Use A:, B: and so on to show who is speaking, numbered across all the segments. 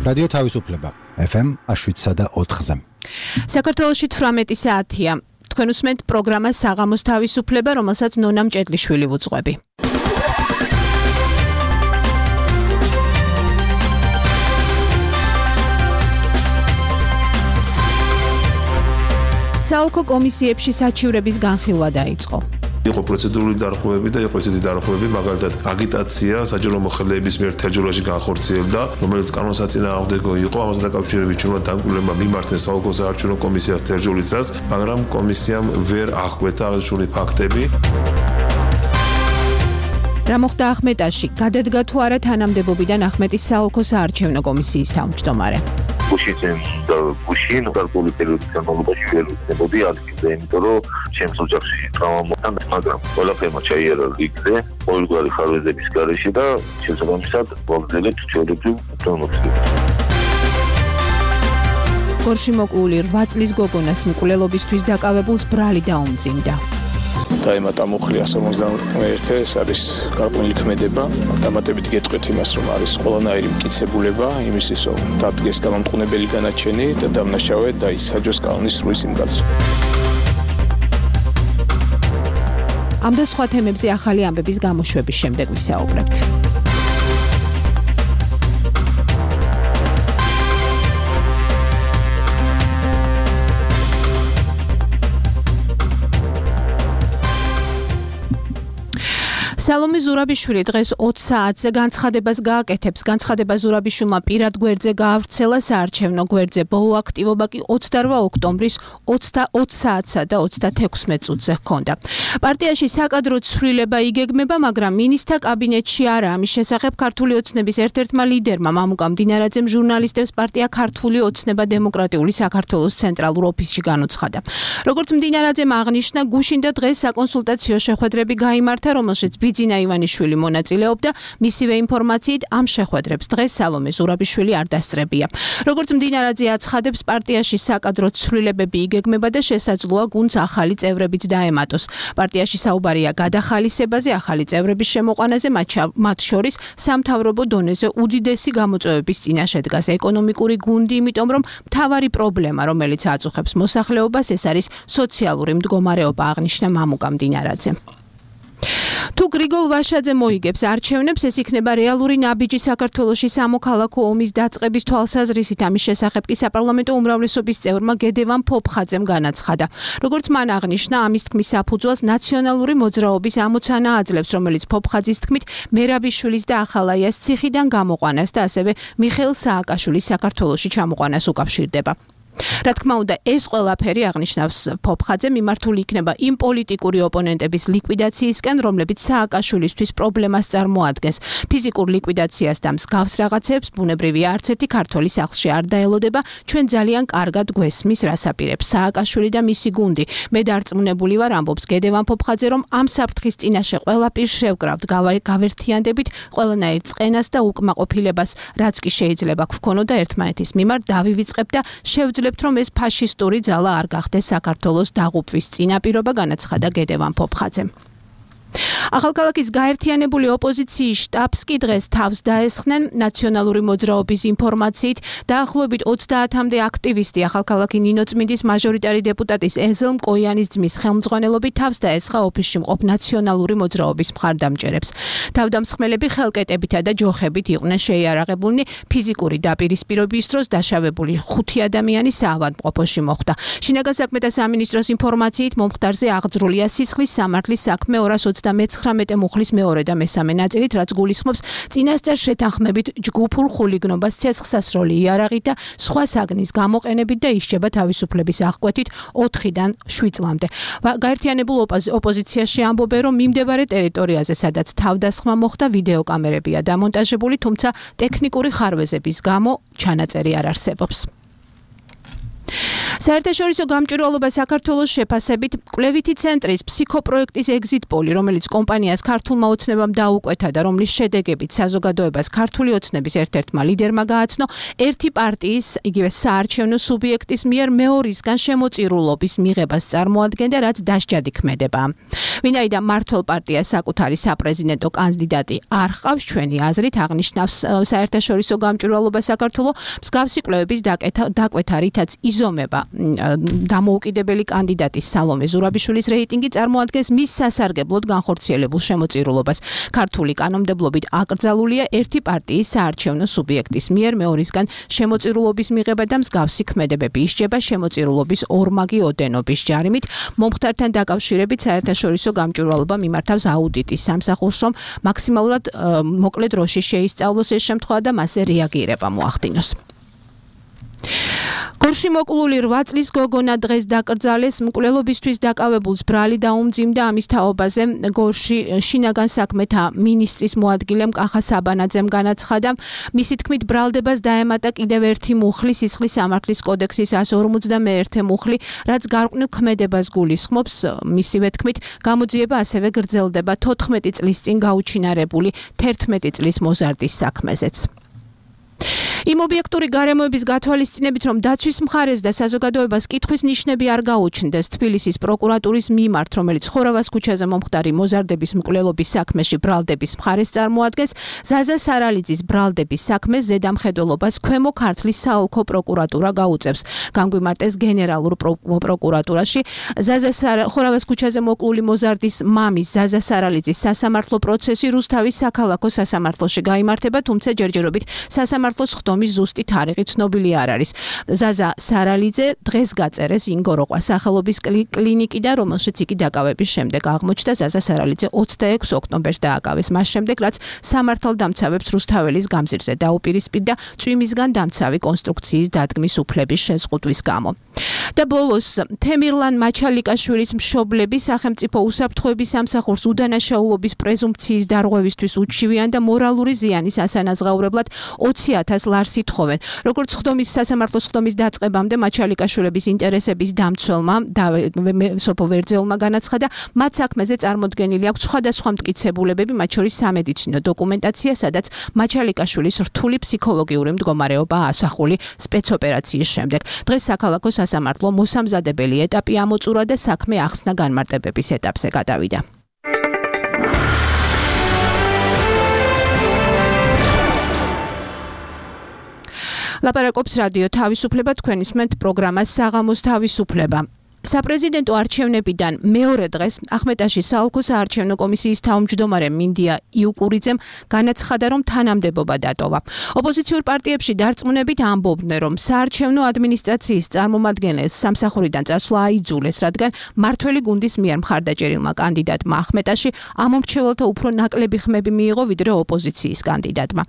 A: რადიო თავისუფლება FM 7.4-ზე.
B: საქართველოში 18 საათია. თქვენ უსმენთ პროგრამას საღამოს თავისუფლება, რომელსაც ნონა მჭედლიშვილი ვუძღვები. საოლქო კომისიებში საჩივრების განხილვა დაიწყო.
C: იყო პროცედურული დარღვევები და იყო ესეთი დარღვევები, მაგალითად აგიტაცია საჯარო მოხელეების მიერ თერჯოლაში განხორციელდა, რომელიც კანონსაწინააღმდეგო იყო, ამაზე დაკავშირებით ჩვენმა დამკვირვებლებმა მიმართეს საოლქო საარჩევნო კომისიას თერჯოლისას, მაგრამ კომისიამ ვერ აღკვეთა აღნიშნული ფაქტები.
B: რა მოხდა ახმეტაში? გადადგა თუ არა თანამდებობიდან ახმეტის საოლქო საარჩევნო კომისიის თავმჯდომარე?
D: გუშინ გარკვეული პერიოდის განმავლობაში ვერ ვიქნებოდი ადგილზე, იმიტომ რომ ჩემს ოჯახში ტრავმა მოხდა, მაგრამ ყველაფერმა ჩაიარა რიგზე, ყოველგვარი ხარვეზების გარეშე და შესაბამისად ვაგრძელებთ ჩვეულებრივ დონოცებას.
B: გორში მოკლული 8 წლის გოგონას მკვლელობისთვის დაკავებულს ბრალი დაუმძიმდა.
E: დაემატა მუხლი 151, ეს არის გარკვეული ქმედება. დამატებით გეტყვით იმას, რომ არის ყველანაირი მტკიცებულება იმისთვის, რომ დადგეს გამამტყუნებელი განაჩენი და დამნაშავე დაისაჯოს კანონის სრული სიმკაცრე.
B: ამ და სხვა თემებზე ახალი ამბების გამოშვების შემდეგ ვისაუბრებთ. სალომე ზურაბიშვილი დღეს 20 საათზე განცხადებას გააკეთებს. განცხადება ზურაბიშვილმა პირად გვერდზე გაავრცელა, საარჩევნო გვერდზე ბოლო აქტივობა კი 28 ოქტომბრის 20 საათსა და 36 წუთზე ჰქონდა. პარტიაში საკადრო ცვლილება იგეგმება, მაგრამ მინისტრთა კაბინეტში არა. ამის შესახებ ქართული ოცნების ერთ-ერთმა ლიდერმა მამუკა მდინარაძემ ჟურნალისტებს პარტია ქართული ოცნება დემოკრატიული საქართველოს ცენტრალურ ოფისში განუცხადა. როგორც მდინარაძემ აღნიშნა, გუშინ და დღეს საკონსულტაციო შეხვედრები გაიმართა, რომელშიც ბიძინა ივანიშვილი მონაწილეობდა. მისივე ინფორმაციით ამ შეხვედრებს დღეს სალომე ზურაბიშვილი არ დასწრებია. როგორც მდინარაძე აცხადებს, პარტიაში საკადრო ცვლილებები იგეგმება და შესაძლოა გუნდს ახალი წევრებიც დაემატოს. პარტიაში საუბარია გადახალისებაზე, ახალი წევრების შემოყვანაზე, მათ შორის სამთავრობო დონეზე უდიდესი გამოწვევების წინაშე დგას ეკონომიკური გუნდი, იმიტომ რომ მთავარი პრობლემა, რომელიც აწუხებს მოსახლეობას, ეს არის სოციალური მდგომარეობა, აღნიშნა მამუკა მდინარაძე. თუ გრიგოლ ვაშაძე მოიგებს არჩევნებს, ეს იქნება რეალური ნაბიჯი საქართველოში სამოქალაქო ომის დაწყების თვალსაზრისით. ამის შესახებ კი საპარლამენტო უმრავლესობის წევრმა გედევან ფოფხაძემ განაცხადა. როგორც მან აღნიშნა, ამის თქმის საფუძველს ნაციონალური მოძრაობის ამოცანა აძლევს, რომელიც ფოფხაძის თქმით მერაბიშვილის და ახალაიას ციხიდან გამოყვანას და ასევე მიხეილ სააკაშვილის საქართველოში ჩამოყვანას უკავშირდება. რა თქმა უნდა, ეს ყველაფერი აღნიშნავს ფოფხაძე მიმართული იქნება იმ პოლიტიკური ოპონენტების ლიკვიდაციისკენ, რომლებიც სააკაშვილისთვის პრობლემას წარმოადგენს. ფიზიკურ ლიკვიდაციას და მსგავს რაღაცებს ბუნებრივია არც ერთი ქართველი სახლში არ დაელოდება. ჩვენ ძალიან კარგად გვესმის, რას აპირებს სააკაშვილი და მისი გუნდი. მე დარწმუნებული ვარ, ამბობს გედევან ფოფხაძე, რომ ამ საფრთხის წინაშე ყველაფერს შევკრავთ, გავერთიანდებით ყველანაირ წყენას და უკმაყოფილებას, რაც კი შეიძლება გვქონოდა ერთმანეთის მიმართ, დავივიწყებთ და შევძლებთ, რომ ეს ფაშისტური ძალა არ გახდეს საქართველოს დაღუპვის წინაპირობა, განაცხადა გედევან ფოფხაძემ. ახალქალაქის გაერთიანებული ოპოზიციის შტაბს კი დღეს თავს დაესხნენ. ნაციონალური მოძრაობის ინფორმაციით დაახლოებით 30-მდე აქტივისტი ახალქალაქი ნინოწმინდის მაჟორიტარი დეპუტატის ეზელ მკოიანის ძმის ხელმძღვანელობით თავს დაესხა ოფისში მყოფ ნაციონალური მოძრაობის მხარდამჭერებს. თავდამსხმელები ხელკეტებითა და ჯოხებით იყვნენ შეიარაღებულნი. ფიზიკური დაპირისპირების დროს დაშავებული 5 ადამიანი საავადმყოფოში მოხვდა. შინაგან საქმეთა სამინისტროს ინფორმაციით მომხდარზე აღძრულია სისხლის სამართლის საქმე 239 მუხლის მეორე და მესამე ნაწილით, რაც გულისხმობს წინასწარ შეთანხმებით ჯგუფურ ხულიგნობას, ცეცხლსასროლი იარაღით და სხვა საგნის გამოყენებით და ისჯება თავისუფლების აღკვეთით 4-დან 7 წლამდე. გაერთიანებულ ოპოზიციაში ამბობენ, რომ მიმდებარე ტერიტორიაზე, სადაც თავდასხმა მოხდა, ვიდეოკამერებია დამონტაჟებული, თუმცა ტექნიკური ხარვეზების გამო ჩანაწერი არ არსებობს. საერთაშორისო გამჭვირვალობა საქართველოს შეფასებით კვლევითი ცენტრის ფსიქოპროექტის exit-poll, რომელიც კომპანიას ქართულმა ოცნებამ დაუკვეთა და რომლის შედეგებით საზოგადოებას ქართული ოცნების ერთ-ერთმა ლიდერმა გააცნო, ერთი პარტიის, იგივე საარჩევნო სუბიექტის მიერ მეორისგან შემოწირულობის მიღებას წარმოადგენდა, რაც დასჯადი ქმედება. ვინაიდან მართველ პარტიას საკუთარი საპრეზიდენტო კანდიდატი არ ჰყავს, ჩვენი აზრით აღნიშნავს საერთაშორისო გამჭვირვალობა საქართველოს მსგავსი კვლევების დაკვეთა, რითაც იზომება დამოუკიდებელი კანდიდატის სალომე ზურაბიშვილის რეიტინგი წარმოადგენს მის სასარგებლოდ განხორციელებულ შემოწირულობას. ქართული კანონმდებლობით აკრძალულია ერთი პარტიის საარჩევნო სუბიექტის მიერ მეორისგან შემოწირულობის მიღება და მსგავსი ქმედებები ისჯება შემოწირულობის ორმაგი ოდენობის ჯარიმით. მომხდართან დაკავშირებით საერთაშორისო გამჭვირვალობა მიმართავს აუდიტის სამსახურს, რომ მაქსიმალურად მოკლე დროში შეისწავლოს ეს შემთხვევა და მასზე რეაგირება მოახდინოს. გორში მოკლული 8 წლის გოგონა დღეს დაკრძალეს. მკვლელობისთვის დაკავებულს ბრალი დაუმძიმდა. ამის თაობაზე გორში შინაგან საქმეთა მინისტრის მოადგილემ კახა საბანაძემ განაცხადა. მისი თქმით, ბრალდებას დაემატა კიდევ ერთი მუხლი სისხლის სამართლის კოდექსის 151 მუხლი, რაც გარყვნილ ქმედებას გულისხმობს. მისივე თქმით, გამოძიება ასევე გრძელდება 14 წლის წინ გაუჩინარებული 11 წლის მოზარდის საქმეზეც. იმ ობიექტური გარემოების გათვალისწინებით, რომ დაცვის მხარეს და საზოგადოებას კითხვის ნიშნები არ გაუჩნდეს, თბილისის პროკურატურის მიმართ, რომელიც ხორავას ქუჩაზე მომხდარი მოზარდების მკვლელობის საქმეში ბრალდების მხარეს წარმოადგენს, ზაზა სარალიძის ბრალდების საქმეს ზედამხედველობას ქვემო ქართლის საოლქო პროკურატურა გაუწევს. განგვიმარტეს გენერალურ პროკურატურაში. ხორავას ქუჩაზე მოკლული მოზარდის მამის ზაზა სარალიძის სასამართლო პროცესი რუსთავის საქალაქო სასამართლოში გაიმართება, თუმცა ჯერჯერობით სასამართლოს ხდომის ზუსტი თარიღი ცნობილი არ არის. ზაზა სარალიძე დღეს გაწერეს ინგოროყვა სახელობის კლინიკიდან, რომელშიც იგი დაკავების შემდეგ აღმოჩნდა. ზაზა სარალიძე 26 ოქტომბერს დააკავეს, მას შემდეგ, რაც სამართალდამცავებს რუსთაველის გამზირზე დაუპირისპირდა წვიმისგან დამცავი კონსტრუქციის დადგმის უფლების შეზღუდვის გამო. და ბოლოს თემირლან მაჩალიკაშვილის მშობლები სახელმწიფო უსაფრთხოების სამსახურს უდანაშაულობის პრეზუმპციის დარღვევისთვის უჩივიან და მორალური ზიანის ასანაზღაურებლად 20,000 ლარს ითხოვენ. როგორც სასამართლოს ხდომის დაწყებამდე მაჩალიკაშვილების ინტერესების დამცველმა სოფო ვერძეულმა განაცხადა, მათ საქმეზე წარმოდგენილი აქვს სხვადასხვა მტკიცებულებები, მათ შორის სამედიცინო დოკუმენტაცია, სადაც მაჩალიკაშვილის რთული ფსიქოლოგიური მდგომარეობაა ასახული სპეცოპერაციის შემდეგ. დღეს საქალაქო სასამართლო მოსამზადებელი ეტაპი ამოწურა და საქმე ახსნა განმარტებების ეტაპზე გადავიდა. ლაპარაკობს რადიო თავისუფლება, თქვენ ისმენთ პროგრამას საღამოს თავისუფლება. საპრეზიდენტო არჩევნებიდან მეორე დღეს ახმეტაშის საოლქო საარჩევნო კომისიის თავმჯდომარე მინდია იუკურიძემ განაცხადა, რომ თანამდებობა დატოვა. ოპოზიციურ პარტიებში დარწმუნებით ამბობდნენ, რომ საარჩევნო ადმინისტრაციის წარმომადგენელს სამსახურიდან წასვლა აიძულეს, რადგან მართველი გუნდის მიერ მხარდაჭერილმა კანდიდატმა ახმეტაში ამომრჩეველთა უფრო ნაკლები ხმები მიიღო, ვიდრე ოპოზიციის კანდიდატმა.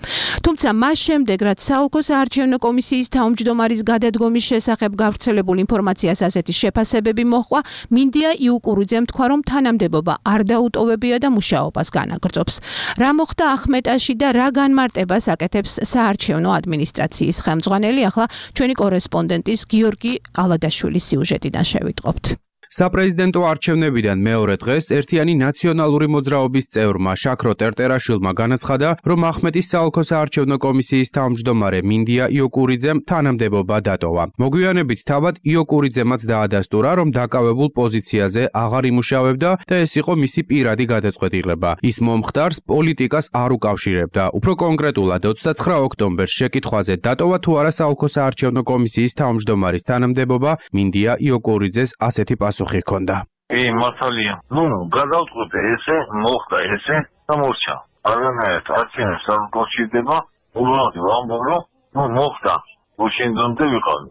B: თუმცა მას შემდეგ, რაც საოლქო საარჩევნო კომისიის თავმჯდომარის გადადგომის შესახებ გავრცელებულ ინფორმაციას ასეთი შეფასება მოხვა, მინდია იუკურიძემ თქვა, რომ თანამდებობა არ დაუტოვებია და მუშაობას განაგრძობს. რა მოხდა ახმეტაში და რა განმარტებას აკეთებს საარჩევნო ადმინისტრაციის ხელმძღვანელი, ახლა ჩვენი კორესპონდენტის გიორგი ალადაშვილის სიუჟეტიდან შევიტყობთ.
F: საპრეზიდენტო არჩევნებიდან მეორე დღეს ერთიანი ნაციონალური მოძრაობის წევრმა შაქრო ტერტერაშვილმა განაცხადა, რომ ახმეტის საოლქო საარჩევნო კომისიის თავმჯდომარე მინდია იოკურიძემ თანამდებობა დატოვა. მოგვიანებით თავად იოკურიძემაც დაადასტურა, რომ დაკავებულ პოზიციაზე აღარ იმუშავებდა და ეს იყო მისი პირადი გადაწყვეტილება. ის მომხდარს პოლიტიკას არ უკავშირებდა. უფრო კონკრეტულად 29 ოქტომბერს შეკითხვაზე დატოვა თუ არა საოლქო საარჩევნო კომისიის თავმჯდომარის თანამდებობა, მინდია იოკურიძეს ასეთი პასუხი ჰქონდა.
D: მართალია. გადავწყვეტე ესე, მოხდა ესე და მორჩა. არანაირად არჩევნებს არ უკავშირდება, უბრალოდ ვამბობ, რომ მოხდა. უშინდომდე ვიყავი.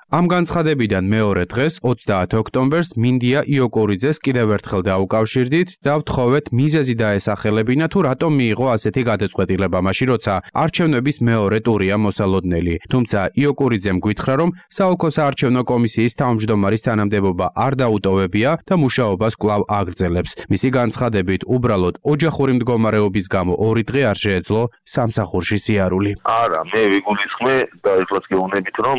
F: ამ განცხადებიდან მეორე დღეს 30 ოქტომბერს მინდია იოკურიძეს კიდევ ერთხელ დაუკავშირდით და ვთხოვეთ მიზეზი დაესახელებინა თუ რატომ მიიღო ასეთი გადაწყვეტილება მაშინ როცა არჩევნების მეორე ტურია მოსალოდნელი. თუმცა იოკურიძემ გითხრა, რომ საოლქო საარჩევნო კომისიის თავმჯდომარის თანამდებობა არ დაუტოვებია და მუშაობას კვლავ აგრძელებს. მისი განცხადებით, უბრალოდ ოჯახური მდგომარეობის გამო 2 დღე არ შეეძლო სამსახურში სიარული.
D: არა, მე ვიგულისხმე და ეხლაც გეუბნებით, რომ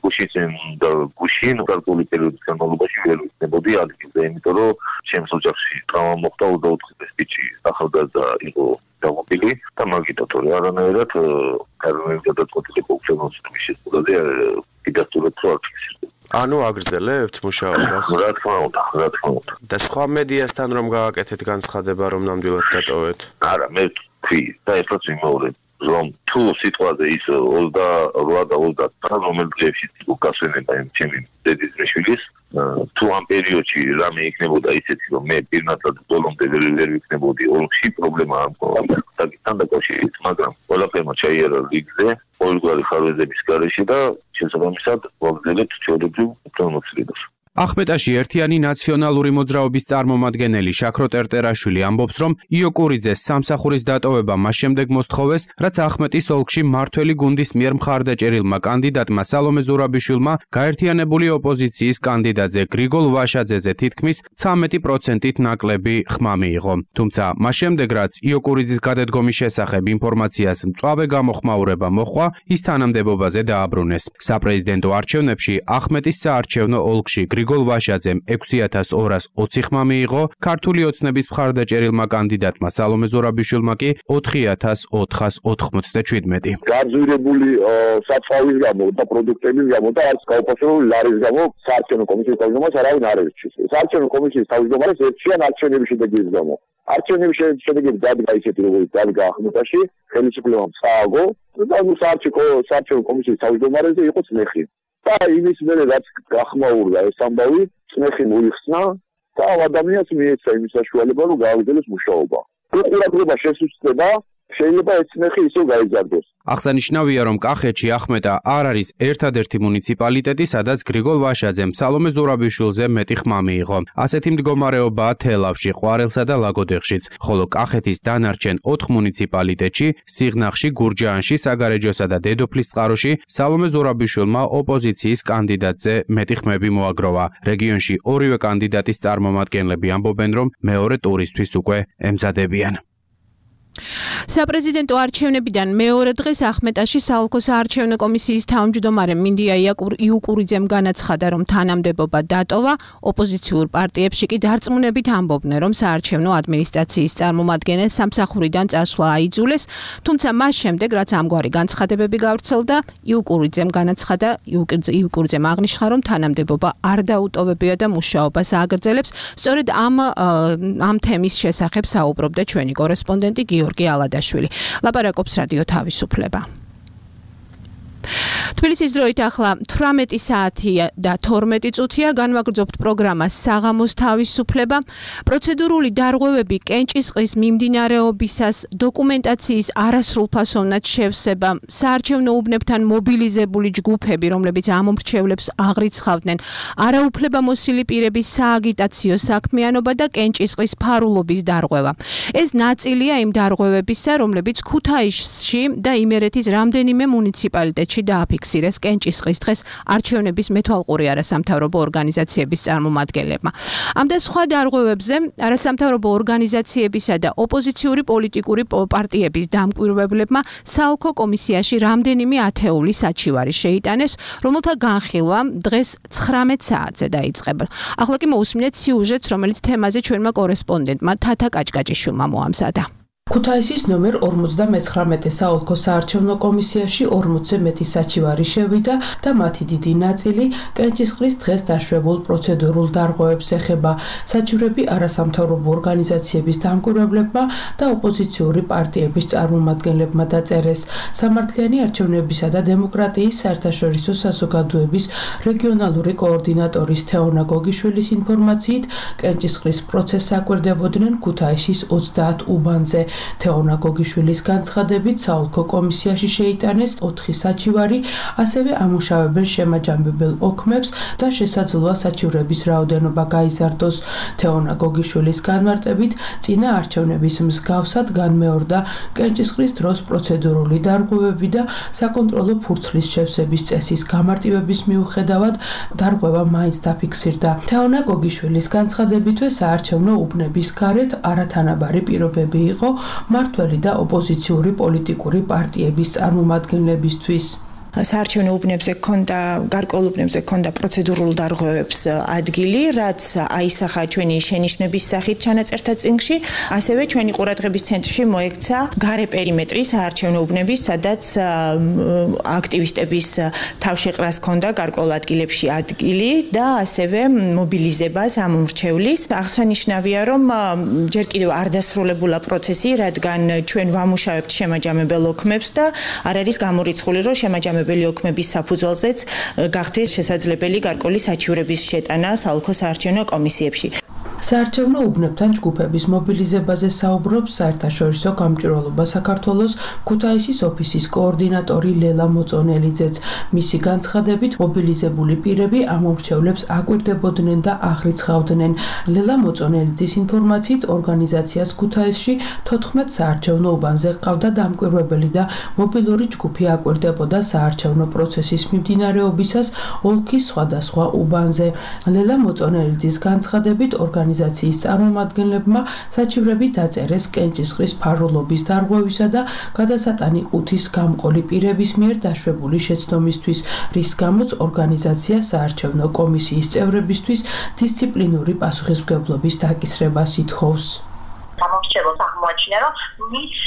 D: გუშინ გარკვეული პერიოდის განმავლობაში ვერ ვიქნებოდი ადგილზე, იმიტომ რომ ჩემს ოჯახში ტრავმა მოხდა 24 წელი ახალგაზრდა იყო დამობილი და მაგითაც არანაირად გადაწყვეტილი ფუნქციონალიზმის შესწავლაზე დიდასტურებს არ ფიქსირდება.
G: ანუ აგრძელებთ მუშაობას?
D: რა თქმა უნდა.
G: და სხვა მედიასთან რომ გააკეთეთ განცხადება, რომ ნამდვილად დატოვეთ?
D: არა, მე თქვი და ერთად ვიმეორებ, რომ თუ სიტყვაზე ის 28 და 29 რომელიც დღეებში უკასვენება ჩემი დედის მეშვილის თუ ამ პერიოდში რამე იქნებოდა ისეთი, რომ მე პირნათლად ბოლომდე ვერ ვიქნებოდი ოლქში, პრობლემა არ მქონდა საკითხთან დაკავშირებით, მაგრამ ყველაფერმა ჩაიარა რიგზე, ყოველგვარი ხარვეზების გარეშე და შესაბამისად ვაგრძელებთ ჩვეულებრივ უფლებამოსილებას.
F: ახმეტაში ერთიანი ნაციონალური მოძრაობის წარმომადგენელი შაქრო ტერტერაშვილი ამბობს, რომ იოკურიძეს სამსახურის დატოვება მას შემდეგ მოსთხოვეს, რაც ახმეტის ოლქში მმართველი გუნდის მიერ მხარდაჭერილმა კანდიდატმა სალომე ზურაბიშვილმა გაერთიანებული ოპოზიციის კანდიდატზე გრიგოლ ვაშაძეზე თითქმის 13%-ით ნაკლები ხმა მიიღო. თუმცა მას შემდეგ, რაც იოკურიძის გადადგომის შესახებ ინფორმაციას მწვავე გამოხმაურება მოჰყვა, ის თანამდებობაზე დააბრუნეს. საპრეზიდენტო არჩევნებში ახმეტის საარჩევნო ოლქში გრიგოლ ვაშაძემ 6220 ხმა მიიღო, ქართული ოცნების მხარდაჭერილმა კანდიდატმა სალომე ზურაბიშვილმა კი 4497.
H: გაძვირებული საწვავის გამო და პროდუქტების გამო და არც გაუფასებული ლარის გამო საარჩევნო კომისიის თავმჯდომარეს არავინ არ ერჩის. საარჩევნო კომისიის თავმჯდომარეს ერჩიან არჩევნების შედეგების გამო. არჩევნების შედეგები დადგა ისეთი, როგორც დადგა ახმეტაში, ხელისუფლებამ წააგო და საარჩევნო კომისიის თავმჯდომარეზე იყო წნეხი. და იმის მერე რაც გახმაურდა ეს ამბავი, წნეხი მოიხსნა და ადამიანს მიეცა იმის საშუალება, რომ გააგრძელოს მუშაობა. უყურადღება შესუსტება შეიძლება ეს წნეხი ისევ გაიზარდოს.
F: აღსანიშნავია, რომ კახეთში ახმეტა არ არის ერთადერთი მუნიციპალიტეტი, სადაც გრიგოლ ვაშაძემ სალომე ზურაბიშვილზე მეტი ხმა მიიღო. ასეთი მდგომარეობაა თელავში, ყვარელსა და ლაგოდეხშიც, ხოლო კახეთის დანარჩენ 4 მუნიციპალიტეტში, სიღნაღში, გურჯაანში, საგარეჯოსა და დედოფლისწყაროში სალომე ზურაბიშვილმა ოპოზიციის კანდიდატზე მეტი ხმები მოაგროვა. რეგიონში ორივე კანდიდატის წარმომადგენლები ამბობენ, რომ მეორე ტურისთვის უკვე ემზადებიან. საპრეზიდენტო არჩევნებიდან მეორე დღეს ახმეტაში საოლქო საარჩევნო კომისიის თავმჯდომარე მინდია იუკურიძემ განაცხადა, რომ თანამდებობა დატოვა, ოპოზიციურ პარტიებში კი დარწმუნებით ამბობდნენ, რომ საარჩევნო ადმინისტრაციის წარმომადგენელს სამსახურიდან წასვლა აიძულეს, თუმცა მას შემდეგ, რაც ამგვარი განცხადებები გავრცელდა, იუკურიძემ აღნიშნა, რომ თანამდებობა არ დაუტოვებია და მუშაობას ააგრძელებს. სწორედ ამ თემის შესახებ საუბრობდა ჩვენი კორესპონდენტი გიორგი ალადაშვილი. ლაპარაკობს რადიო თავისუფლება. თბილისის დროით ახლა 18 საათია და 12 წუთია, განვაგრძობთ პროგრამას საღამოს თავისუფლება. პროცედურული დარღვევები კენჭისყრის მიმდინარეობისას, დოკუმენტაციის არასრულფასოვნად შევსება, საარჩევნო უბნებთან მობილიზებული ჯგუფები, რომლებიც ამომრჩევლებს აღრიცხავდნენ, არაუფლებამოსილი პირების სააგიტაციო საქმიანობა და კენჭისყრის ფარულობის დარღვევა. ეს ნაწილია იმ დარღვევებისა, რომლებიც ქუთაისში და იმერეთის რამდენიმე მუნიციპალიტეტში დააფიქსირეს კენჭისყრის დღეს არჩევნების მეთვალყური არასამთავრობო ორგანიზაციების წარმომადგენლებმა. ამ და სხვა დარღვევებზე არასამთავრობო ორგანიზაციებისა და ოპოზიციური პოლიტიკური პარტიების დამკვირვებლებმა საოლქო კომისიაში რამდენიმე ათეული საჩივარი შეიტანეს, რომელთა განხილვა დღეს 19 საათზე დაიწყება. ახლა კი მოусმინეთ სიუჟეტს, რომელიც თემაზე ჩვენმა კორესპონდენტმა თათა კაჭკაჭიშვილმა მოამზადა.
I: ქუთაისის ნომერ 59 საოლქო საარჩევნო კომისიაში 40-ზე მეტი საჩივარი შევიდა და მათი დიდი ნაწილი კენჭისყრის დღეს დაშვებულ პროცედურულ დარღვევებს ეხება. საჩივრები არასამთავრობო ორგანიზაციების დამკვირვებლებმა და ოპოზიციური პარტიების წარმომადგენლებმა დაწერეს. სამართლიანი არჩევნებისა და დემოკრატიის საერთაშორისო საზოგადოების რეგიონალური კოორდინატორის თეონა გოგიშვილის ინფორმაციით, კენჭისყრის პროცესს აკვირდებოდნენ ქუთაისის 30 უბანზე. თეონა გოგიშვილის განცხადებით, საოლქო კომისიაში შეიტანეს 4 საჩივარი, ასევე ამუშავებენ შემაჯამებელ ოქმებს და შესაძლოა საჩივრების რაოდენობა გაიზარდოს. თეონა გოგიშვილის განმარტებით, წინა არჩევნების მსგავსად განმეორდა კენჭისყრის დროს პროცედურული დარღვევები და საკონტროლო ფურცლის შევსების წესის გამარტივების მიუხედავად დარღვევა მაინც დაფიქსირდა. თეონა გოგიშვილის განცხადებითვე საარჩევნო უბნების გარეთ არათანაბარი პირობები იყო მმართველი და ოპოზიციური პოლიტიკური პარტიების წარმომადგენლებისთვის.
J: საარჩევნო უბნებზე ქონდა გარკვეულ უბნებზე ქონდა პროცედურულ დარღვევებს ადგილი, რაც აისახა ჩვენი შენიშვნების სახით ჩანაწერთა წიგნში, ასევე ჩვენი ყურადღების ცენტრში მოექცა გარე პერიმეტრი საარჩევნო უბნების, სადაც აქტივისტების თავშეყრას ქონდა გარკვეულ ადგილებში ადგილი და ასევე მობილიზება სამომრჩევლის. აღსანიშნავია, რომ ჯერ კიდევ არ დასრულებულა პროცესი, რადგან ჩვენ ვამუშავებთ შემაჯამებელ ოქმებს და არ არის გამორიცხული, რომ შემაჯამებელი ოქმების საფუძველზეც გახდეს შესაძლებელი გარკვეული საჩივრების შეტანა საოლქო საარჩევნო კომისიებში.
I: საარჩევნო უბნებთან ჯგუფების მობილიზებაზე საუბრობს საერთაშორისო გამჭვირვალობა საქართველოს ქუთაისის ოფისის კოორდინატორი ლელა მოწონელიძეც. მისი განცხადებით, მობილიზებული პირები ამომრჩევლებს აკვირდებოდნენ და აღრიცხავდნენ. ლელა მოწონელიძის ინფორმაციით, ორგანიზაციას ქუთაისში 14 საარჩევნო უბანზე ჰყავდა დამკვირვებელი და მობილური ჯგუფი აკვირდებოდა საარჩევნო პროცესის მიმდინარეობისას ოლქის სხვადასხვა უბანზე. ლელა მოწონელიძის განცხადებით, ორგანიზაციის წარმომადგენლებმა საჩივრები დაწერეს კენჭისყრის ფარულობის დარღვევისა და გადასატანი ყუთის გამყოლი პირების მიერ დაშვებული შეცდომისთვის, რის გამოც ორგანიზაცია საარჩევნო კომისიის წევრებისთვის დისციპლინური პასუხისმგებლობის დაკისრებას ითხოვს.
K: სამომრჩევლოს აღმოაჩინა, რომ მის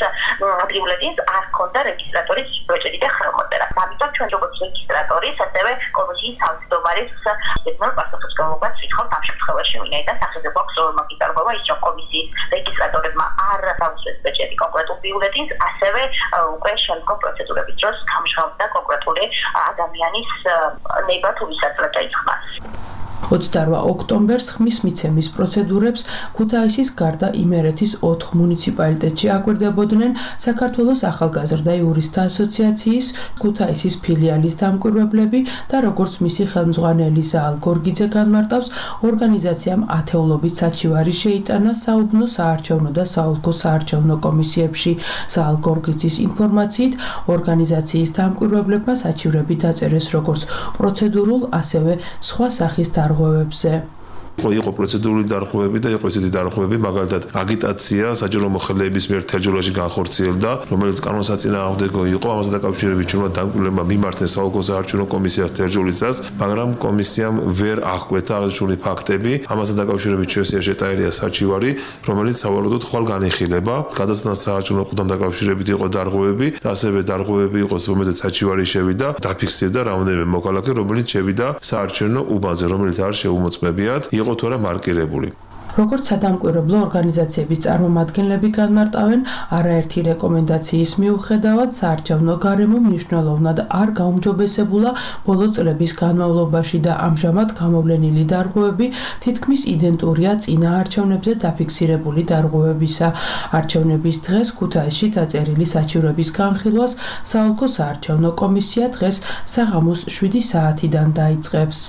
K: ადრეულედს არ ჰქონდა რეგისტრატორის ბეჭედი და ხელმოწერა. ამიტომ ჩვენ როგორც რეგისტრატორის, ასევე კომისიის თავმჯდომარის ზედმეტ პასუხისმგებლობას ვითხოვთ ამ შემთხვევაში, ვინაიდან სახეზე გვაქვს მაგიტარბობა ის, რომ კომისიის რეგისტრატორებმა არ დაუსვეს ბეჭედი კონკრეტულ ბიულეტინს, ასევე უკვე შემდგომ პროცედურების დროს გამჟღავნდა კონკრეტული ადამიანის ნება თუ ვისაძლებ დაიხმას.
I: 28 ოქტომბერს ხმის მიცემის პროცედურებს ქუთაისის გარდა იმერეთის 4 მუნიციპალიტეტში აკვირდებოდნენ საქართველოს ახალგაზრდა იურისტთა ასოციაციის ქუთაისის ფილიალის დამკვირვებლები და როგორც მისი ხელმძღვანელი ზაალ გორგიძე განმარტავს, ორგანიზაციამ ათეულობით საჩივარი შეიტანა საუბნო, საარჩევნო და საოლქო საარჩევნო კომისიებში. ზაალ გორგიძის ინფორმაციით, ორგანიზაციის დამკვირვებლებმა საჩივრები დაწერეს როგორც პროცედურულ, ასევე სხვა სახის დარღვევებზე.
C: იყო პროცედურული დარღვევები და იყო ესეთი დარღვევები, მაგალითად აგიტაცია საჯარო მოხელეების მიერ თერჯოლაში განხორციელდა, რომელიც კანონსაწინააღმდეგო იყო, ამასთან დაკავშირებით ჩვენმა დამკვირვებლებმა მიმართეს საოლქო საარჩევნო კომისიას თერჯოლისას, მაგრამ კომისიამ ვერ აღკვეთა აღნიშნული ფაქტები, ამასთან დაკავშირებით ჩვენსია შეტანილია საჩივარი, რომელიც სავარაუდოდ ხვალ განიხილება. გადასტან საარჩევნო ყუთთან დაკავშირებით იყო დარღვევები და ასევე დარღვევები იყო, რომელზეც საჩივარი შევიდა, დაფიქსირდა რამდენიმე მოქალაქე, რომელიც შევიდა საარჩევნო უბანზე, რომელიც არ შეუმოწმებიათ. იყო თუ არა მარკირებული.
I: როგორც სადამკვირვებლო ორგანიზაციების წარმომადგენლები განმარტავენ, არაერთი რეკომენდაციის მიუხედავად საარჩევნო გარემო მნიშვნელოვნად არ გაუმჯობესებულა ბოლო წლების განმავლობაში და ამჟამად გამოვლენილი დარღვევები თითქმის იდენტურია წინა არჩევნებზე დაფიქსირებული დარღვევებისა. არჩევნების დღეს ქუთაისში დაწერილი საჩივრების განხილვას საოლქო საარჩევნო კომისია დღეს საღამოს 7 საათიდან დაიწყებს.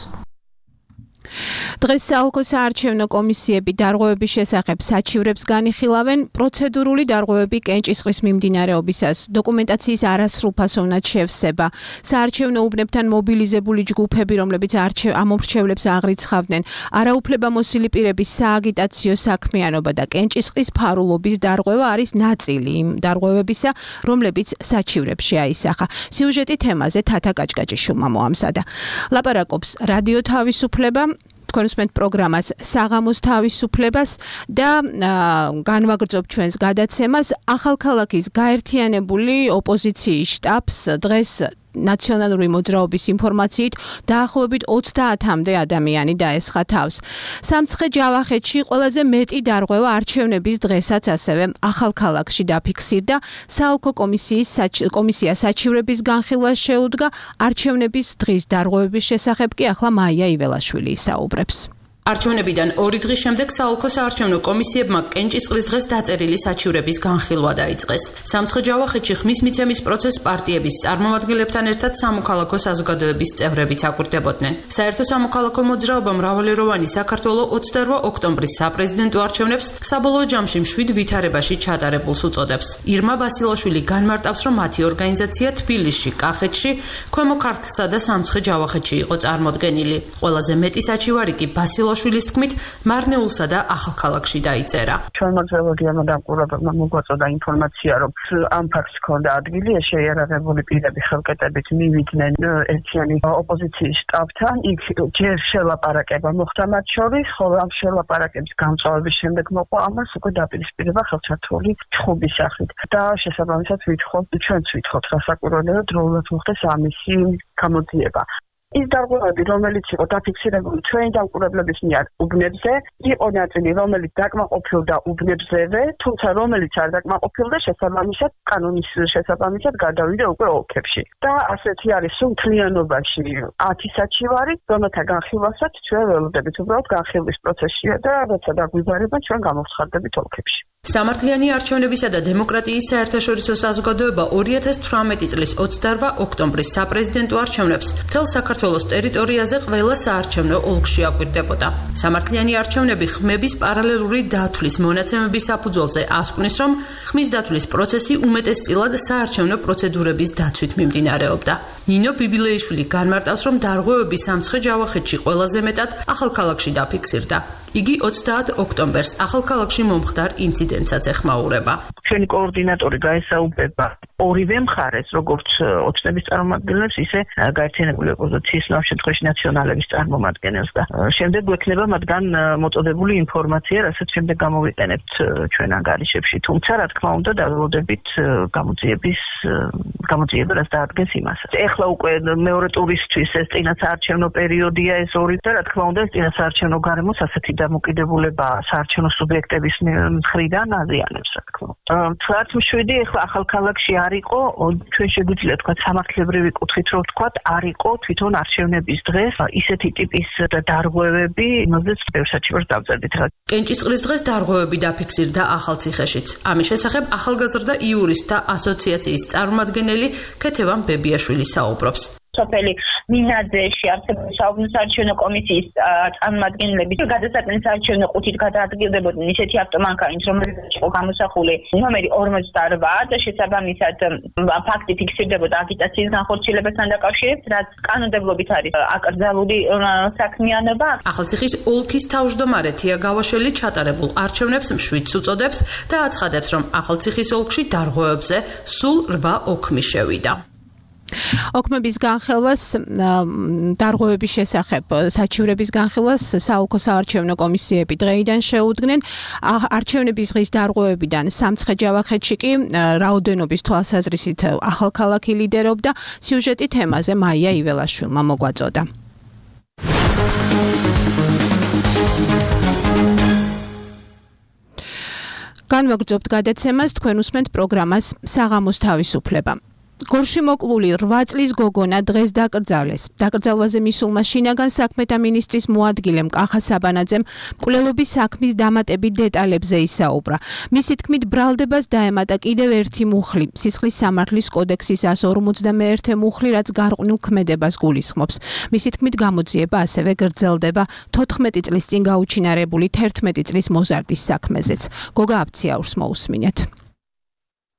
B: დღეს საოლქო საარჩევნო კომისიები დარღვევების შესახებ საჩივრებს განიხილავენ, პროცედურული დარღვევები კენჭისყრის მიმდინარეობისას, დოკუმენტაციის არასრულფასოვნად შევსება, საარჩევნო უბნებთან მობილიზებული ჯგუფები, რომლებიც ამომრჩევლებს აღრიცხავდნენ, არაუფლებამოსილი პირების სააგიტაციო საქმიანობა და კენჭისყრის ფარულობის დარღვევა არის ნაწილი იმ დარღვევებისა, რომლებიც საჩივრებში აისახა. სიუჟეტი თემაზე თათა კაჭკაჭიშვილმა მოამზადა. ლაპარაკობს რადიო თავისუფლება, თქვენ უსმენთ პროგრამას საღამოს თავისუფლებას და განვაგრძობ ჩვენს გადაცემას ახალქალაქის გაერთიანებული ოპოზიციის შტაბს დღეს ნაციონალური მოძრაობის ინფორმაციით დაახლოებით 30-მდე ადამიანი დაესხა თავს. სამცხე ჯავახეთში ყველაზე მეტი დარღვევა არჩევნების დღესაც ასევე ახალქალაქში დაფიქსირდა. საოლქო კომისია საჩივრების განხილვას შეუდგა. არჩევნების დღის დარღვევების შესახებ კი ახლა მაია იველაშვილი ისაუბრებს.
L: არჩევნებიდან 2 დღის შემდეგ საოლქო საარჩევნო კომისიებმა კენჭისყრის დღეს დაწერილი საჩივრების განხილვა დაიწყეს. სამცხე ჯავახეთში ხმის მიცემის პროცესს პარტიების წარმომადგენლებთან ერთად სამოქალაქო საზოგადოების წევრებიც აკვირდებოდნენ. საერთო სამოქალაქო მოძრაობა მრავალეროვანი საქართველო 28 ოქტომბრის საპრეზიდენტო არჩევნებს საბოლოო ჯამში მშვიდ ვითარებაში ჩატარებულს უწოდებს. ირმა ბასილაშვილი განმარტავს, რომ მათი ორგანიზაცია თბილისში, კახეთში, ქვემო ქართლსა და სამცხე ჯავახეთში იყო წარმოდგენილი. ყველაზე მეტი საჩივარი კი ბასილაშვილი ბილაშვილის თქმით, მარნეულსა და ახალქალაქში დაიწერა.
M: ჩვენ მოძრაობებმა დამკვირვებლებმა მოგვაწოდა ინფორმაცია, რომ ამ ფაქტს ჰქონდა ადგილი, შეიარაღებული პირები ხელკეტებით მივიდნენ ერთიანი ოპოზიციის შტაბთან, იქ ჯერ შელაპარაკება მოხდა მათ შორის, ხოლო ამ შელაპარაკების გამწვავების შემდეგ მოყვა ამას უკვე დაპირისპირება ხელჩართული ჩხუბის სახით და შესაბამისად ჩვენც ვითხოვთ გასაკვირველია, დროულად მოხდეს ამისი გამოძიება. ის დარღვევები, რომელიც იყო დაფიქსირებული ჩვენი დამკვირვებლების მიერ უბნებზე, იყო ნაწილი, რომელიც დაკმაყოფილდა უბნებზევე, თუმცა რომელიც არ დაკმაყოფილდა, შესაბამისად კანონის შესაბამისად გადავიდა უკვე ოლქებში. და ასეთი არის სულ მთლიანობაში 10 საჩივარი, რომელთა განხილვასაც ჩვენ ველოდებით, უბრალოდ განხილვის პროცესია და როცა დაგვიბარება, ჩვენ გამოვცხარდებით ოლქებში.
L: სამართლიანი არჩევნებისა და დემოკრატიის საერთაშორისო საზოგადოება 2018 წლის 28 ოქტომბრის საპრეზიდენტო არჩევნებს მთელ საქართველოს ტერიტორიაზე ყველა საარჩევნო ოლქში აკვირდებოდა. სამართლიანი არჩევნები ხმების პარალელური დათვლის მონაცემების საფუძველზე ასკვნის, რომ ხმის დათვლის პროცესი უმეტესწილად საარჩევნო პროცედურების დაცვით მიმდინარეობდა. ნინო ბიბილეიშვილი განმარტავს, რომ დარღვევები სამცხე ჯავახეთში ყველაზე მეტად ახალქალაქში დაფიქსირდა. იგი 30 ოქტომბერს ახალქალაქში მომხდარ ინციდენტსაც ეხმაურება.
M: ჩვენი კოორდინატორი გაესაუბრება ორივე მხარეს, როგორც ოცნების წარმომადგენლებს, ისე გაერთიანებული ოპოზიციის ამ შემთხვევაში ნაციონალების წარმომადგენელს და შემდეგ გვექნება მათგან მოწოდებული ინფორმაცია, რასაც შემდეგ გამოვიყენებთ ჩვენ ანგარიშებში. თუმცა, რა თქმა უნდა, დაველოდებით გამოძიება რას დაადგენს იმასაც. ეხლა უკვე მეორე ტურისთვის ეს წინასაარჩევნო პერიოდია ეს ორი და რა თქმა უნდა ეს წინასაარჩევნო გარემოს ასეთი დამოკიდებულება საარჩევნო სუბიექტების მხრიდან აზიანებს, რა თქმა უნდა. 17 ეხლა ახალქალაქში არ იყო, ჩვენ შეგვიძლია თქვა სამართლებრივი კუთხით რომ ვთქვა, არ იყო თვითონ არჩევნების დღეს ისეთი ტიპის დარღვევები, რომელზეც ბევრსაჩივარს დავწერდით.
L: კენჭისყრის დღეს დარღვევები დაფიქსირდა ახალციხეშიც. ამის შესახებ ახალგაზრდა იურისტთა ასოციაციის წარმომადგენელი ქეთევან ბებიაშვილი საუბრობს.
N: სოფელი მინაძეში არსებული საუბრების არჩევნო კომისიის წარმომადგენლები გადასაწყვეტ არჩევნო ყუთით გადაადგილდებოდნენ ისეთი ავტომანქანით, რომელზეც იყო გამოსახული ნომერი 48 და შესაბამისად ფაქტი ფიქსირდებოდა აგიტაციის განხორციელებასთან დაკავშირებით, რაც კანონმდებლობით არის აკრძალული საქმიანობა.
L: ახალციხის ოლქის თავმჯდომარე თია გავაშვილი ჩატარებულ არჩევნებს მშვიდს უწოდებს და აცხადებს, რომ ახალციხის ოლქში დარღვევებზე სულ 8 ოქმი შევიდა.
B: ოქმების განხილვას დარღვევების შესახებ საჩივრების განხილვას საოლქო საარჩევნო კომისიები დღეიდან შეუდგნენ. არჩევნების დღის დარღვევებიდან სამცხე ჯავახეთში კი რაოდენობის თვალსაზრისით ახალქალაქი ლიდერობდა. სიუჟეტი თემაზე მაია იველაშვილმა მოგვაწოდა. განვაგრძობთ გადაცემას, თქვენ უსმენთ პროგრამას საღამოს თავისუფლება. გორში მოკლული 8 წლის გოგონა დღეს დაკრძალეს. დაკრძალვაზე მისულმა შინაგან საქმეთა მინისტრის მოადგილემ კახა საბანაძემ მკვლელობის საქმის დამატებით დეტალებზე ისაუბრა. მისი თქმით, ბრალდებას დაემატა კიდევ ერთი მუხლი, სისხლის სამართლის კოდექსის 151 მუხლი, რაც გარყვნილ ქმედებას გულისხმობს. მისი თქმით, გამოძიება ასევე გრძელდება 14 წლის წინ გაუჩინარებული 11 წლის მოზარდის საქმეზეც. გოგა აფციაურს მოусმინეთ.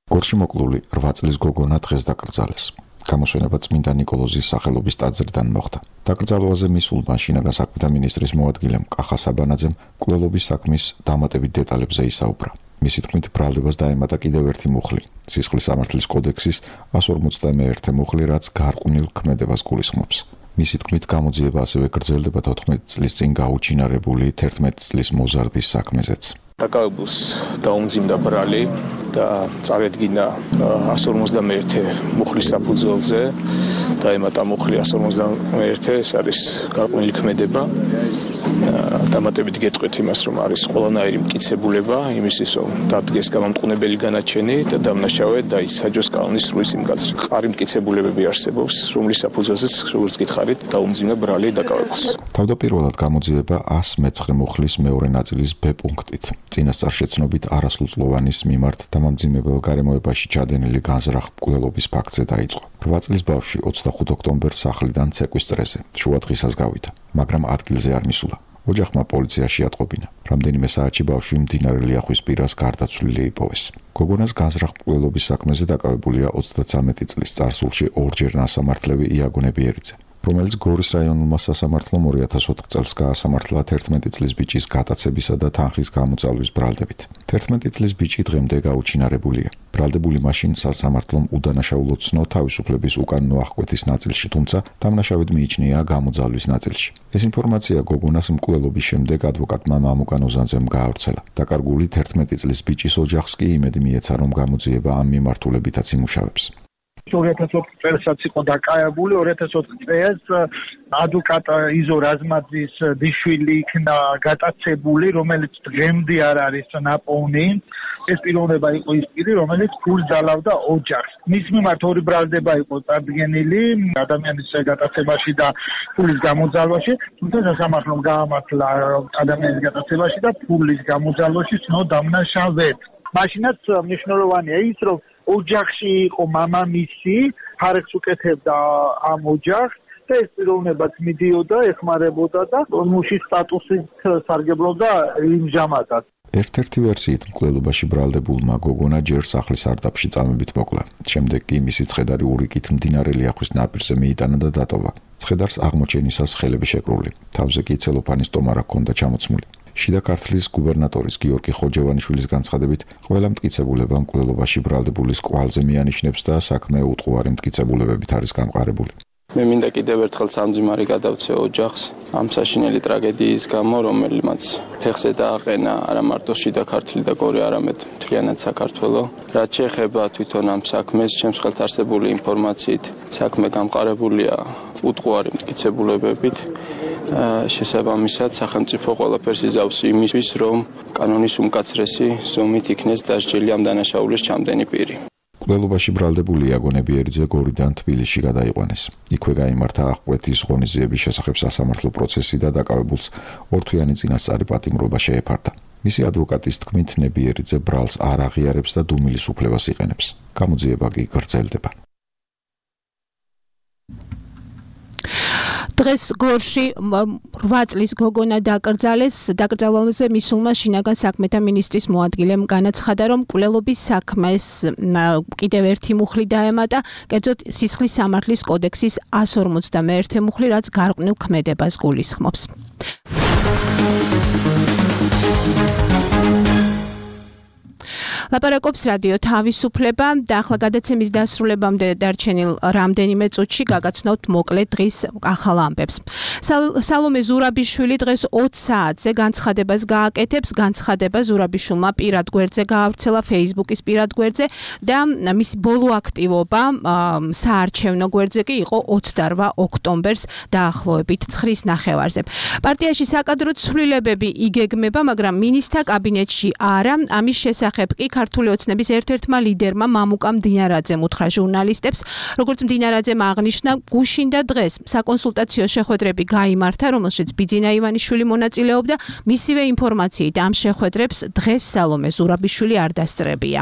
O: გორში მოკლული 8 წლის გოგონა დღეს დაკრძალეს. გამოსვენება წმინდა ნიკოლოზის სახელობის ტაძრიდან მოხდა. დაკრძალვაზე მისულმა შინაგან საქმეთა მინისტრის მოადგილემ კახა საბანაძემ მკვლელობის საქმის დამატებით დეტალებზე ისაუბრა. მისი თქმით, ბრალდებას დაემატა კიდევ ერთი მუხლი, სისხლის სამართლის კოდექსის 151 მუხლი, რაც გარყვნილ ქმედებას გულისხმობს. მისი თქმით, გამოძიება ასევე გრძელდება 14 წლის წინ გაუჩინარებული 11 წლის მოზარდის საქმეზეც.
E: დაკავებულს დაუმძიმდა ბრალი და წარედგინა 151 მუხლის საფუძველზე დაემატა მუხლი 151, ეს არის გარყვნილი ქმედება. დამატებით გეტყვით იმას, რომ არის ყველანაირი მტკიცებულება იმისთვის, რომ დადგეს გამამტყუნებელი განაჩენი და დამნაშავე დაისაჯოს კანონის სრული სიმკაცრე. ყარი მტკიცებულებები არსებობს, რომლის საფუძველზეც, როგორც გითხარით, დაუმძიმდა ბრალი დაკავებულს.
O: თავდაპირველად გამოძიება 119 მუხლის მეორე ნაწილის B პუნქტით. წინასწარშეცნობით არასრულწლოვანის მიმართ დამამძიმებელ გარემოებაში ჩადენილი განზრახ მკვლელობის ფაქტზე დაიწყო. 8 წლის ბავშვი 25 ოქტომბერს სახლიდან ცეკვის წრეზე შუადღისას გავიდა, მაგრამ ადგილზე არ მისულა. ოჯახმა პოლიციაში ატყობინა. რამდენიმე საათში ბავშვი მდინარე ლიახვის პირას გარდაცვლილი იპოვეს. გოგონას განზრახ მკვლელობის საქმეზე დაკავებულია 33 წლის წარსულში ორჯერ ნასამართლევი იაგო ნებიერიძე. რომელიც გორის რაიონულმა სასამართლომ 2004 წელს გაასამართლა 11 წლის ბიჭის გატაცებისა და თანხის გამოძალვის ბრალდებით. 11 წლის ბიჭი დღემდე გაუჩინარებულია. ბრალდებული მაშინ სასამართლომ უდანაშაულო ცნო თავისუფლების უკანონო აღკვეთის ნაწილში, თუმცა დამნაშავედ მიიჩნია გამოძალვის ნაწილში. ეს ინფორმაცია გოგონას მკვლელობის შემდეგ ადვოკატმა მამუკან ოზანძემ გაავრცელა. დაკარგული 11 წლის ბიჭის ოჯახს კი იმედი მიეცა, რომ გამოძიება ამ მიმართულებითაც იმუშავებს.
P: 2004 წელსაც იყო დაკავებული 2004 წელს ადვოკატ იზო რაზმაძის დიშვილი იქნა გატაცებული, რომელიც დღემდე არ არის ნაპოვნი. ეს პიროვნება იყო ის პირი, რომელიც ფულს ძალავდა ოჯახს. მის მიმართ ორი ბრალდება იყო წარდგენილი ადამიანის გატაცებაში და ფულის გამოძალვაში, თუმცა სასამართლომ გაამართლა ადამიანის გატაცებაში და ფულის გამოძალვაში ცნო დამნაშავედ. მაშინაც მნიშვნელოვანია ის, რომ ოჯახში იყო მამამისი, ხარეს უკეთებდა ამ ოჯახს და ეს პიროვნებაც მიდიოდა, ეხმარებოდა და მუშის სტატუსით სარგებლობდა იმჟამადაც.
O: ერთ-ერთი ვერსიით მკვლელობაში ბრალდებულმა გოგონა ჯერ სახლის სარდაფში წამებით მოკლა. შემდეგ კი მისი ცხედარი ურიკით მდინარე ლიახვის ნაპირზე მიიტანა და დატოვა. ცხედარს აღმოჩენისას ხელები შეკრული. თავზე კი ცელოფანის ტომარა ჰქონდა ჩამოცმული. შიდა ქართლის გუბერნატორის გიორგი ხოჯევანიშვილის განცხადებით, ყველა მტკიცებულება მკვლელობაში ბრალდებულის კვალზე მიანიშნებს და საქმე უტყუარი მტკიცებულებებით არის გამყარებული.
E: მე მინდა კიდევ ერთხელ სამძიმარი გადავცე ოჯახს ამ საშინელი ტრაგედიის გამო, რომელმაც ფეხზე დააყენა არა მარტო შიდა ქართლი და გორი, არამედ მთლიანად საქართველო. რაც შეეხება თვითონ ამ საქმეს, ჩემს ხელთ არსებული ინფორმაციით, საქმე გამყარებულია უტყუარი მტკიცებულებებით. შესაბამისად, სახელმწიფო ყველაფერს იზავს იმისთვის, რომ კანონის უმკაცრესი ზომით იქნეს დასჯილი ამ დანაშაულის ჩამდენი პირი.
O: მკვლელობაში ბრალდებული იაგონებიერიძე გორიდან თბილისში გადაიყვანეს. იქვე გაიმართა აღკვეთის ღონისძიების შესახებ სასამართლო პროცესი და დაკავებულს ორთვიანი წინასწარი პატიმრობა შეეფარდა. მისი ადვოკატის თქმით, ნებიერიძე ბრალს არ აღიარებს და დუმილის უფლებას იყენებს. გამოძიება კი გრძელდება.
B: დღეს გორში 8 წლის გოგონა დაკრძალეს. დაკრძალვაზე მისულმა შინაგან საქმეთა მინისტრის მოადგილემ განაცხადა, რომ მკვლელობის საქმეს კიდევ ერთი მუხლი დაემატა, კერძოდ სისხლის სამართლის კოდექსის 151 მუხლი, რაც გარყვნილ ქმედებას გულისხმობს. ლაპარაკობს რადიო თავისუფლება და ახლა გადაცემის დასრულებამდე დარჩენილ რამდენიმე წუთში გაგაცნობთ მოკლე დღის ახალ ამბებს. სალომე ზურაბიშვილი დღეს 20 საათზე განცხადებას გააკეთებს. განცხადება ზურაბიშვილმა პირად გვერდზე გაავრცელა Facebook-ის პირად გვერდზე და მისი ბოლო აქტივობა საარჩევნო გვერდზე კი იყო 28 ოქტომბერს დაახლოებით 9:30-ზე. პარტიაში საკადრო ცვლილებები იგეგმება, მაგრამ მინისტრთა კაბინეტში არა. ამის შესახებ კი ქართული ოცნების ერთ-ერთმა ლიდერმა მამუკა მდინარაძემ უთხრა ჟურნალისტებს, როგორც მდინარაძემ აღნიშნა, გუშინდა დღეს საკონსულტაციო შეხვედრები გაიმართა, რომელშიც ბიძინა ივანიშვილი მონაწილეობდა. მისივე ინფორმაციით ამ შეხვედრებს დღეს სალომე ზურაბიშვილი არ დასწრებია.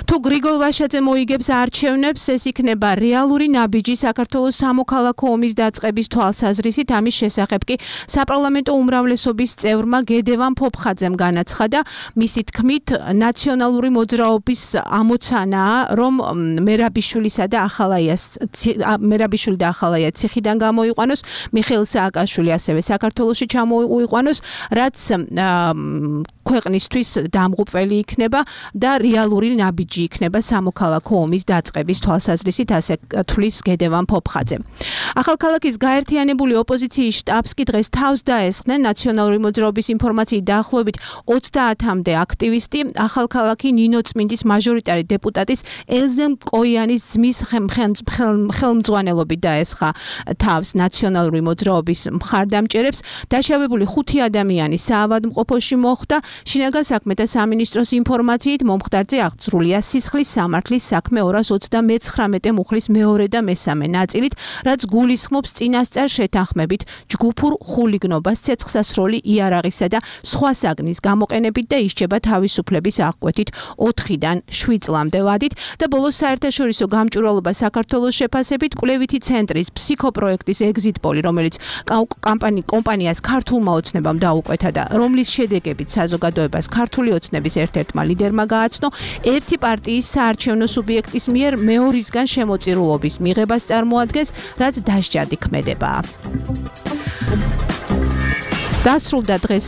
B: თუ გრიგოლ ვაშაძე მოიგებს არჩევნებს, ეს იქნება რეალური ნაბიჯი საქართველოს სამოქალაქო ომის დაწყების თვალსაზრისით. ამის შესახებ კი საპარლამენტო უმრავლესობის წევრმა გედევან ფოფხაძემ განაცხადა. მისი თქმით, ნაციონალური მოძრაობის ამოცანაა, რომ მერაბიშვილი და ახალაია ციხიდან გამოიყვანოს, მიხეილ სააკაშვილი ასევე საქართველოში ჩამოიყვანოს, რაც ქვეყნისთვის დამღუპველი იქნება და რეალური ნაბიჯი იქნება სამოქალაქო ომის დაწყების თვალსაზრისით, ასე თვლის გედევან ფოფხაძე. ახალქალაქის გაერთიანებული ოპოზიციის შტაბს კი დღეს თავს დაესხნენ. ნაციონალური მოძრაობის ინფორმაციით დაახლოებით 30-მდე აქტივისტი ახალქალაქი ნინო წმინდის მაჟორიტარი დეპუტატის ელზემ კოიანის ძმის ხელმძღვანელობით დაესხა თავს ნაციონალური მოძრაობის მხარდამჭერებს. დაშავებული 5 ადამიანი საავადმყოფოში მოხვდა. შინაგან საქმეთა სამინისტროს ინფორმაციით მომხდარზე აღძრულია სისხლის სამართლის საქმე 229 მუხლის მეორე და მესამე ნაწილით, რაც გულისხმობს წინასწარ შეთანხმებით ჯგუფურ ხულიგნობას, ცეცხლსასროლი იარაღისა და სხვა საგნის გამოყენებით და ისჯება თავისუფლების აღკვეთით 4-დან 7 წლამდე ვადით და ბოლოს საერთაშორისო გამჭვირვალობა საქართველოს შეფასებით კვლევითი ცენტრის ფსიქოპროექტის ეგზიტ პოლი, რომელიც კომპანიას ქართულმა ოცნებამ დაუკვეთა და რომლის შედეგებით საზოგადოებრივ საზოგადოებას ქართული ოცნების ერთ-ერთმა ლიდერმა გააცნო ერთი პარტიის საარჩევნო სუბიექტის მიერ მეორისგან შემოწირულობის მიღებას წარმოადგენს, რაც დასჯადი ქმედებაა. დასრულდა დღეს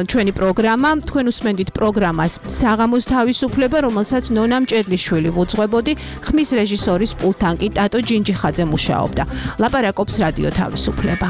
B: ჩვენი პროგრამა. თქვენ უსმენდით პროგრამას საღამოს თავისუფლება, რომელსაც ნონა მჭედლიშვილი ვუძღვებოდი, ხმის რეჟისორის პულტთან კი ტატო ჯინჯიხაძე მუშაობდა. ლაპარაკობს რადიო თავისუფლება.